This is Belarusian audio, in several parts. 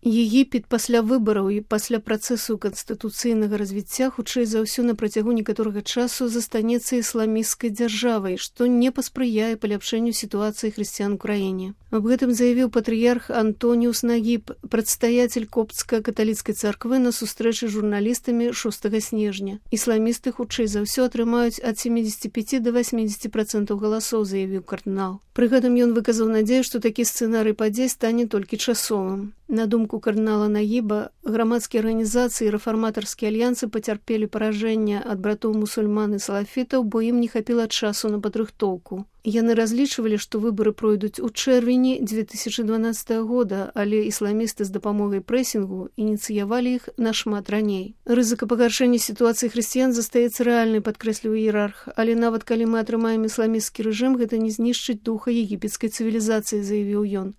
Егіпет пасля выбараў і пасля працэсу канстытуцыйнага развіцця хутчэй за ўсё на працягу некаторага часу застанецца ісламісцкай дзяржавай, што не паспрыяе паляпшэнню сітуацыі хрысціян у краіне. Аб гэтым заявіў патрыярх Антоніус Нагіб, прадстаяцель коптска-каталіцкай царквы на сустрэчы з журналістамі 6 снежня. Ісламісты хутчэй за ўсё атрымаюць ад 75 до 80% галасоў, заявіў кардынал. Пры гэтым ён выказаў надзею, што такі сцэнарый падзей стане толькі часовым. На думку кардынала Нагіба, грамадскія арганізацыі і рэфарматарскія альянсы пацярпелі паражэнне ад братоў мусульман і салафітаў, бо ім не хапіла часу на падрыхтоўку. Яны разлічвалі, што выбары пройдуць у чэрвені 2012 года, але ісламісты з дапамогай прэсінгу ініцыявалі іх нашмат раней. Рызыка пагаршэння сітуацыі хрысціян застаецца рэальнай, падкрэсліў іерарх, але нават калі мы атрымаем ісламісцкі рэжым, гэта не знішчыць духа егіпецкай цывілізацыі, заявіў ён.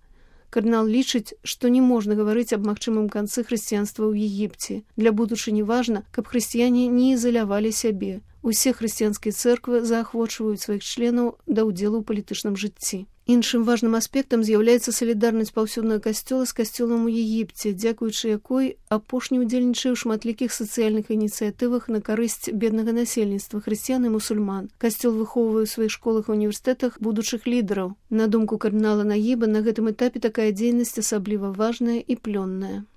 Кардынал лічыць, што не можна гаварыць аб магчымым канцы хрысціянства ў Егіпце. Для будучыні важна, каб хрысціяне не ізалявалі сябе. Усе хрысціянскія цэрквы заахвочваюць сваіх членаў да ўдзелу ў палітычным жыцці. Іншым важным аспектам з'яўляецца салідарнасць паўсюднага касцёла з касцёлам у Егіпце, дзякуючы якой апошні ўдзельнічае ў шматлікіх сацыяльных ініцыятывах на карысць беднага насельніцтва, хрысціян і мусульман. Касцёл выхоўвае ў сваіх школах і універсітэтах будучых лідараў. На думку кардынала Нагіба, на гэтым этапе такая дзейнасць асабліва важная і плённая.